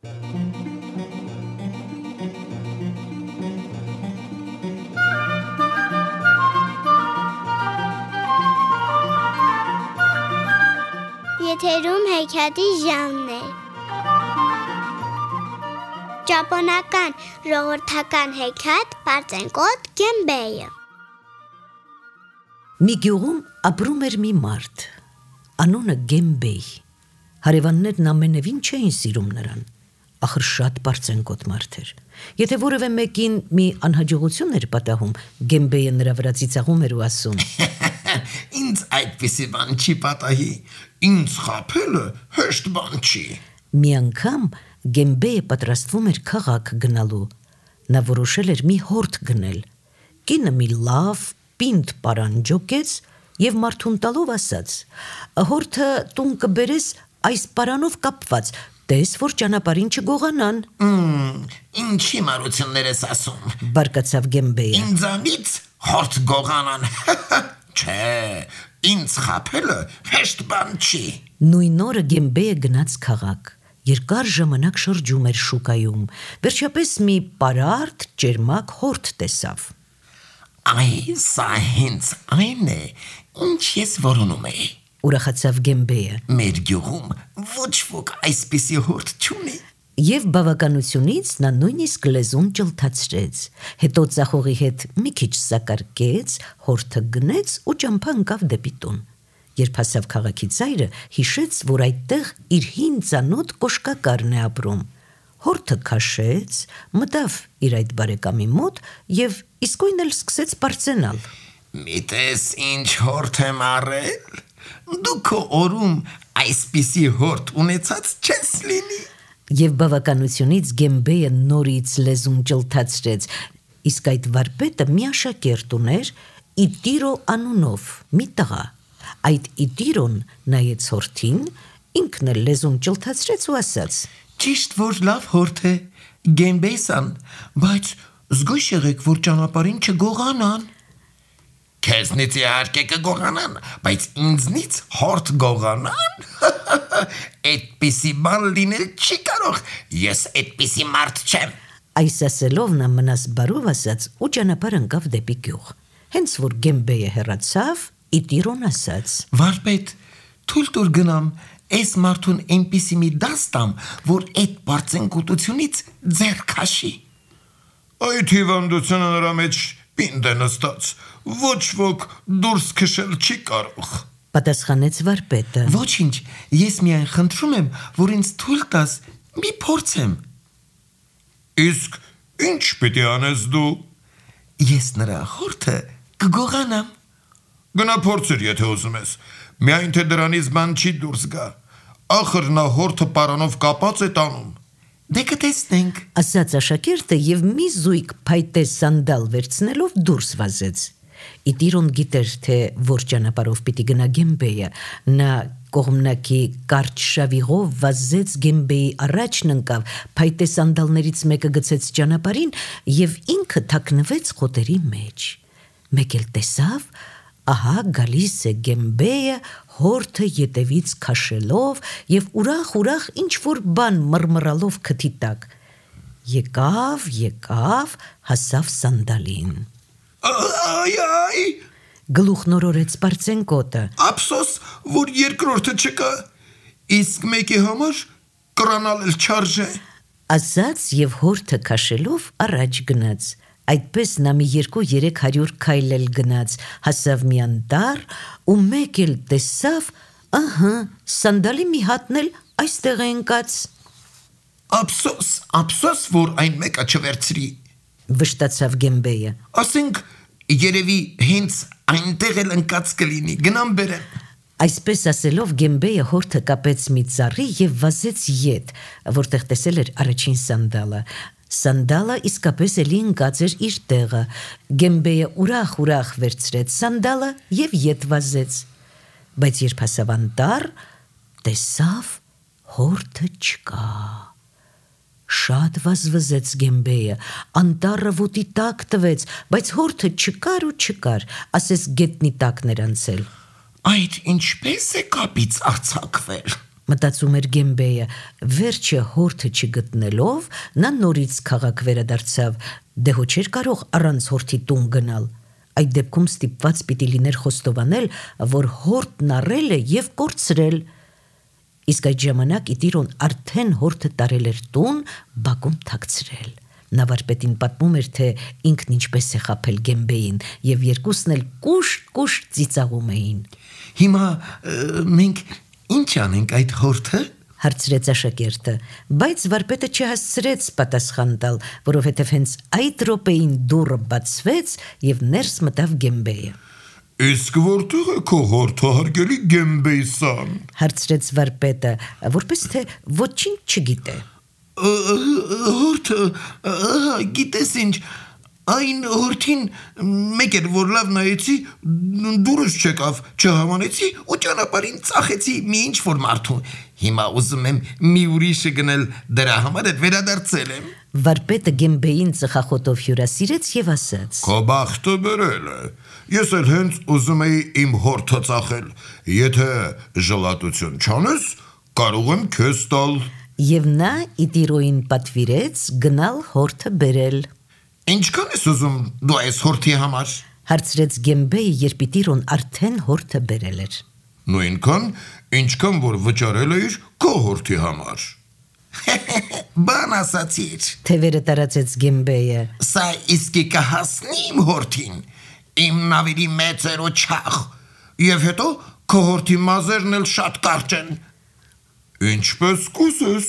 Եթերում հեքիաթի ժամն է։ Ճապոնական ժողովրդական հեքիաթ Պարծենկոտ Գեմբեյը։ Մի գյուղում ապրում էր մի մարդ, անունը Գեմբեյ։ Հարևաններն ամենևին չէին սիրում նրան, ախր շատ պարծենկոտ մարդ էր։ Եթե որևէ մեկին մի անհաջողություն էր պատահում, Գեմբեյը նրա վրա ծիծաղում էր ու ասում. Ինձ այդպիսի բան չի պատահի, ինձ խաբելը հեշտ բան չի։ Մի անգամ Գեմբեյը պատրաստվում էր քաղաք գնալու։ Նա որոշել էր մի հորթ գնել։ Կինը մի լավ պինդ պարան ջոկեց և մարդուն տալով ասաց. «Հորթը տուն կբերես այս պարանով կապված, տես, որ ճանապարհին չգողանան»։ Ինչի մարություններ ես ասում։ Բարկացավ Գեմբեյը։ Ինձանից հորթ գողանան։ Չէ, ինձ խաբելը հեշտ բան չի։ Նույն օրը Գեմբեյը գնաց քաղաք։ Երկար ժամանակ շրջում էր շուկայում։ Վերջապես մի պարարտ ճերմակ հորթ տեսավ։ Այ սա հենց այն է, ինչ ես որոնում էի։ Ուրախացավ Գեմբեյը։ Մեր գյուղում ոչ ոք այսպիսի հորթ չունի։ Եվ բավականությունից նա նույնիսկ լեզուն ճլթացրեց։ Հետո ծախողի հետ մի քիչ սակարկեց, հորթը գնեց ու ճամփա ընկավ դեպի տուն։ Երբ հասավ քաղաքի ծայրը, հիշեց, որ այդտեղ իր հին ծանոթ կոշկակարն է ապրում։ Հորթը քաշեց, մտավ իր այդ բարեկամի մոտ և իսկույն էլ սկսեց պարծենալ։ Միտես ինչ հորթ եմ առել։ Դու քո օրում այսպիսի հորթ ունեցած չես լինի։ Եվ բավականությունից Գեմբեյը նորից լեզուն ճլթացրեց, իսկ այդ վարպետը մի աշակերտ ուներ Իտիրո անունով, մի տղա։ Այդ Իտիրոն նայեց հորթին, ինքն էլ լեզուն ճլթացրեց ու ասաց. Ճիշտ որ լավ հորթ է, Գեմբեյ-սան, բայց զգույշ եղեք, որ ճանապարհին չգողանան։ Քեզնից իհարկե կգողանան, բայց ինձնից հորթ գողանան։ Այդպիսի բան լինել չի կարող, ես այդպիսի մարդ չեմ։ Այս ասելով նա մնաս բարով ասաց ու ճանապարհ ընկավ դեպի գյուղ։ Հենց որ Գեմբեյը հեռացավ, Իտիրոն ասաց. Վարպետ, թույլ տուր գնամ, այս մարդուն այնպիսի մի դաս տամ, որ այդ պարծենկոտությունից ձեռ քաշի։ Այդ հիվանդությունը նրա մեջ պինդ է նստած, ոչ ոք դուրս քշել չի կարող։ Պատասխանեց վարպետը. Ոչինչ, ես միայն խնդրում եմ, որ ինձ թույլ տաս մի փորձեմ։ Իսկ ինչ պիտի անես դու։ Ես նրա հորթը կգողանամ։ Գնա փորձիր, եթե ուզում ես, միայն թե դրանից բան չի դուրս գա։ Ախր նա հորթը պարանով կապած է տանում։ Դե կտեսնենք, ասաց աշակերտը և մի զույգ փայտե սանդալ վերցնելով դուրս վազեց։ Իտիրոն գիտեր, թե որ ճանապարհով պիտի գնա Գեմբեյը։ Նա կողմնակի կարճ շավիղով վազեց Գեմբեյի առաջն ընկավ, փայտե սանդալներից մեկը գցեց ճանապարհին և ինքը թաքնվեց խոտերի մեջ։ Մեկ էլ տեսավ, ահա գալիս է Գեմբեյը հորթը ետևից քաշելով և ուրախ ինչ-որ բան մռմռալով քթի տակ։ Եկավ, հասավ սանդալին։ Այ, Գլուխնորորեց պարծենկոտը։ ափսոս, որ երկրորդը չկա, իսկ մեկի համար կրանալ էլ չարժե։ Ասաց և հորթը քաշելով առաջ գնաց։ Այդպես նա մի 200-300 քայլ էլ գնաց, հասավ մի անտառ ու մեկ էլ տեսավ, ահա, սանդալի մի հատն էլ այստեղ է ընկած։ Ափսոս, որ այն մեկը չվերցրի։ Վշտացավ Գեմբեյը։ Ասենք, երևի հենց այնտեղ էլ ընկած կլինի, գնամ բերեմ։ Այսպես ասելով Գեմբեյը հորթը կապեց մի ծառի և վազեց ետ, որտեղ տեսել էր առաջին սանդալը։ Սանդալը իսկապես էլի ընկած էր իր տեղը։ Գեմբեյը ուրախ վերցրեց սանդալը և ետ վազեց։ Բայց երբ հասավ անտառ, տեսավ հորթը չկա։ Շատ վազվզեց Գեմբեյը, անտառը ոտի տակ տվեց, բայց հորթը չկար, ասես գետնի տակն էր անցել։ Այդ ինչպես է կապից արձակվել։ Մտածում էր Գեմբեյը, վերջը հորթը չգտնելով, նա նորից քաղաք վերադարձավ, դե հո չէր կարող առանց հորթի տուն գնալ։ Այդ դեպքում ստիպված պիտի լիներ խոստովանել, որ հորթն առել է և կորցրել։ Իսկ այդ ժամանակ Իտիրոն արդեն հորթը տարել էր տուն, բակում թաքցրել։ Նա վարպետին պատմում էր, թե ինքն ինչպես է խաբել Գեմբեյին, և երկուսն էլ կուշտ ծիծաղում էին։ Հիմա մենք ինչ անենք այդ հորթը։ Հարցրեց աշակերտը, բայց վարպետը չհասցրեց պատասխան տալ, որովհետև հենց այդ րոպեին դուռը բացվեց և ներս մտավ Գեմբեյը։ Իսկ որտեղ է քո հորթը, հարգելի Գեմբեյ-սան։ Հարցրեց վարպետը, որպես թե ոչինչ չգիտե։ Հորթը, գիտես ինչ, այն հորթին մեկ էր, որ լավ նայեցի, դուրս չեկավ, չհամանեցի ու ճանապարհին ծախեցի մի ինչ-որ մարդու։ Հիմա ուզում եմ մի ուրիշը գնել, դրա համար էլ վերադարձել եմ։ Վարպետը Գեմբեյին ծխախոտով հյուրասիրեց և ասաց. Քո բախտը բերել է։ Ես էլ հենց ուզում էի իմ հորթը ծախել։ Եթե ժլատություն չանես, կարող եմ քեզ տալ։ Եվ նա Իտիրոյին պատվիրեց գնալ հորթը բերել։ Ինչքան ես ուզում դու այս հորթի համար։ Հարցրեց Գեմբեյը, երբ Իտիրոն արդեն հորթը բերել էր։ Նույնքան, ինչքան որ վճարել էիր քո հորթի համար։ Բան ասացիր։ Թևերը տարածեց Գեմբեյը։ Սա իսկի կհասնի իմ հորթին։ Իմ նավիրի մեծ էր ու չաղ։ Եվ հետո քո հորթի մազերն էլ շատ կարճ են։ Ինչպես կուզես,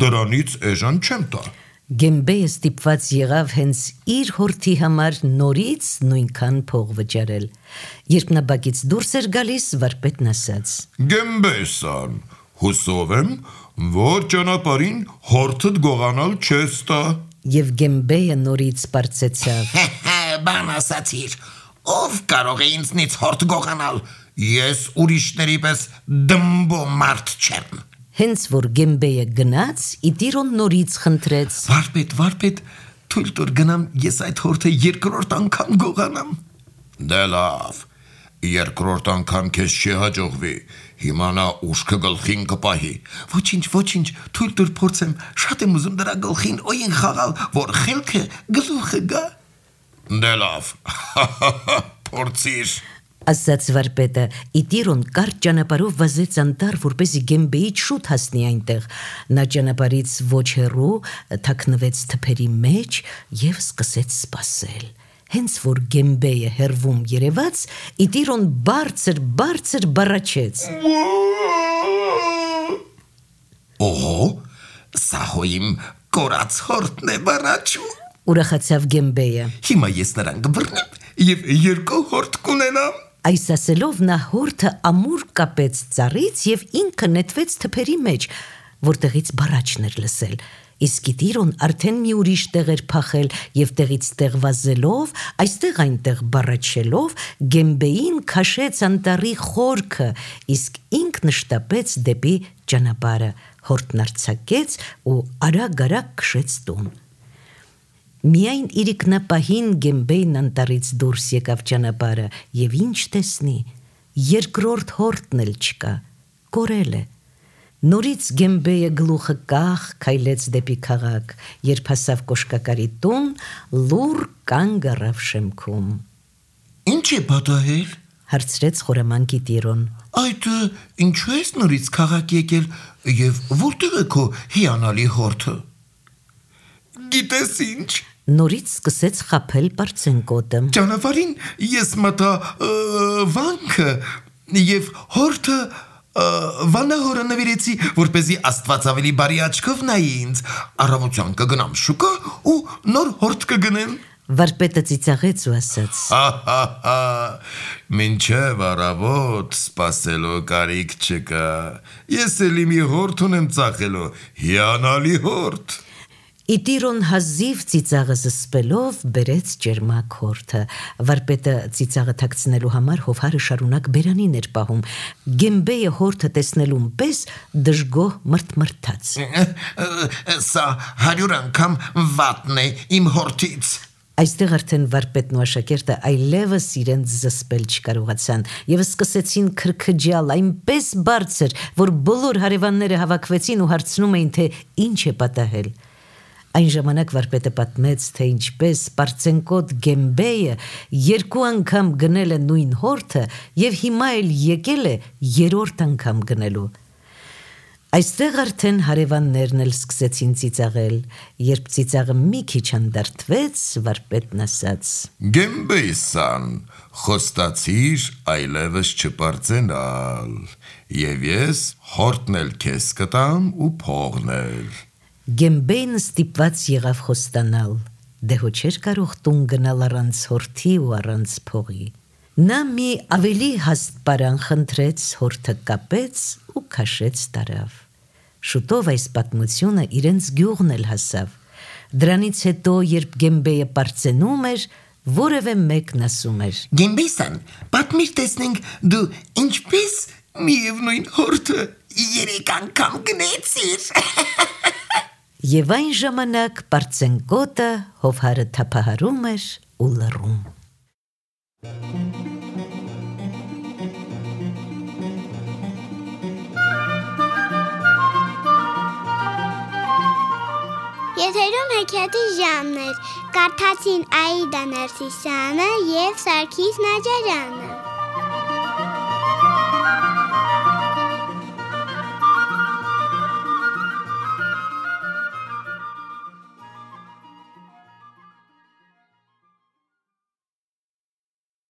դրանից էժան չեմ տա։ Գեմբեյը ստիպված եղավ հենց իր հորթի համար նորից նույնքան փող վճարել։ Երբ նա բակից դուրս էր գալիս, վարպետն ասաց. Գեմբեյ-սան, հուսով եմ, որ ճանապարհին հորթդ գողանալ չես տա։ Եվ Գեմբեյը նորից պարծեցավ. Բան ասացիր, ով կարող է ինձնից հորթ գողանալ։ Ես ուրիշների պես դմբո մարդ չեմ։ Հենց որ Գեմբեյը գնաց, Իտիրոն նորից խնդրեց. Վարպետ, թույլ տուր գնամ ես այդ հորթը երկրորդ անգամ գողանամ։ Դե լավ, երկրորդ անգամ քեզ չի հաջողվի, հիմա նա ուշքը գլխին կպահի։ Ոչինչ, թույլ տուր փորձեմ, շատ եմ ուզում դրա գլխին օյին խաղալ, որ խելքը գլուխը գա։ Դե լավ, փորձիր։ Ասաց վարպետը, Իտիրոն կարճ ճանապարհով վազեց անտառ, որպեսզի Գեմբեյից շուտ հասնի այնտեղ։ Նա ճանապարհից ոչ հեռու թաքնվեց թփերի մեջ և սկսեց սպասել։ Հենց որ Գեմբեյը հեռվում երևաց, Իտիրոն բարձր բառաչեց. Օհո, սա հո իմ կորած հորթն է բառաչում։ Ուրախացավ Գեմբեյը։ Հիմա ես նրան կբռնեմ և երկու հորթ կունենամ։ Այս ասելով նա հորթը ամուր կապեց ծառից և ինքը նետվեց թփերի մեջ, որտեղից բառաչն էր լսել։ Իսկ Իտիրոն արդեն մի ուրիշ տեղ էր փախել և տեղից տեղ վազելով, այստեղ այնտեղ բառաչելով, Գեմբեյին քաշեց անտառի խորքը, իսկ ինքն շտապեց դեպի ճանապարհը, հորթն արձակեց ու արագ քշեց տուն։ Միայն իրիկնապահին Գեմբեյն անտառից դուրս եկավ ճանապարհը և ինչ տեսնի, երկրորդ հորթն էլ չկա, կորել է։ Նորից Գեմբեյը գլուխը կախ քայլեց դեպի քաղաք, երբ հասավ կոշկակարի տուն, լուռ կանգ առավ շեմքում։ Ինչ է պատահել։ Հարցրեց խորամանկ Իտիրոն։ Այդ ինչու ես նորից քաղաք եկել և որտեղ է քո հիանալի հորթը։ Գիտես ինչ։ Նորից սկսեց խաբել պարծենկոտը։ Ճանապարհին ես մտա վանքը և հորթը վանահորը նվիրեցի, որպեսզի Աստված ավելի բարի աչքով նայի ինձ։ Առավոտյան կգնամ շուկա ու նոր հորթ կգնեմ։ Վարպետը ծիծաղեց ու ասաց. Մինչև առավոտ սպասելու կարիք չկա։ Ես էլի մի հորթ ունեմ ծախելու, հիանալի հորթ։ Իտիրոն հազիվ ծիծաղը զսպելով բերեց ճերմակ հորթը։ Վարպետը ծիծաղը թաքցնելու համար հովհարը շարունակ բերանին էր պահում։ Գեմբեյը հորթը տեսնելուն պես դժգոհ մրթմրթաց. Սա 100 անգամ վատն է իմ հորթից։ Այստեղ արդեն վարպետն ու աշակերտը այլևս իրենց զսպել չկարողացան եւ սկսեցին քրքջալ այնպես բարձր, որ բոլոր հարևանները հավաքվեցին ու հարցնում էին, թե ինչ է պատահել։ Այն ժամանակ վարպետը պատմեց, թե ինչպես Պարծենկոտ Գեմբեյը 2 անգամ գնել է նույն հորթը եւ հիմա էլ եկել է 3-րդ անգամ գնելու։ Այստեղ արդեն հարևաններն էլ սկսեցին ծիծաղել, երբ ծիծաղը մի քիչ անդրդվեց, վարպետն ասաց. Գեմբեյսան, խոստացիր այլևս չպարծենալ, եւ ես հորտն էլ քեզ կտամ ու փողնել։ Գեմբեյն ստիպված եղավ խոստանալ, դե հո չէր կարող տուն գնալ առանց հորթի ու առանց փողի։ Նա մի ավելի հաստ պարան խնդրեց, հորթը կապեց ու քաշեց տարավ։ Շուտով այս պատմությունը իրենց գյուղն էլ հասավ։ Դրանից հետո, երբ Գեմբեյը պարծենում էր, որևէ մեկն ասում էր. Գեմբեյսան, պատմիր տեսնենք դու ինչպես միևնույն հորթը 3 անգամ գնեցիր։ Եվ այն ժամանակ Պարծենկոտը հովհարը թափահարում էր ու լռում։ Եթերում հեքիաթի ժամն էր, կարդացին Աիդա Ներսիսյանը և Սարգիս Նաջարյանը։